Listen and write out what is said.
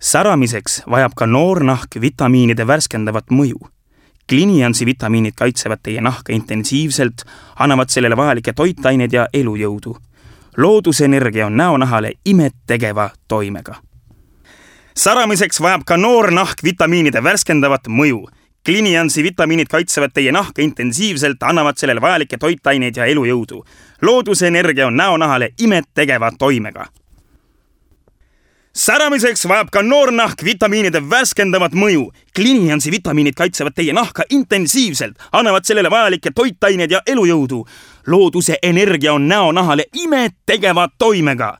Säramiseks vajab ka noor nahk vitamiinide värskendavat mõju. Kliniansi vitamiinid kaitsevad teie nahka intensiivselt, annavad sellele vajalikke toitained ja elujõudu. Loodusenergia on näonahale imet tegeva toimega. Säramiseks vajab ka noor nahk vitamiinide värskendavat mõju. Kliniansi vitamiinid kaitsevad teie nahka intensiivselt, annavad sellele vajalikke toitaineid ja elujõudu. Loodusenergia on näonahale imet tegeva toimega. Säramiseks vajab ka noor nahk vitamiinide värskendavat mõju. Kliniansi vitamiinid kaitsevad teie nahka intensiivselt, annavad sellele vajalikke toitaineid ja elujõudu. Looduse energia on näonahale imet tegeva toimega.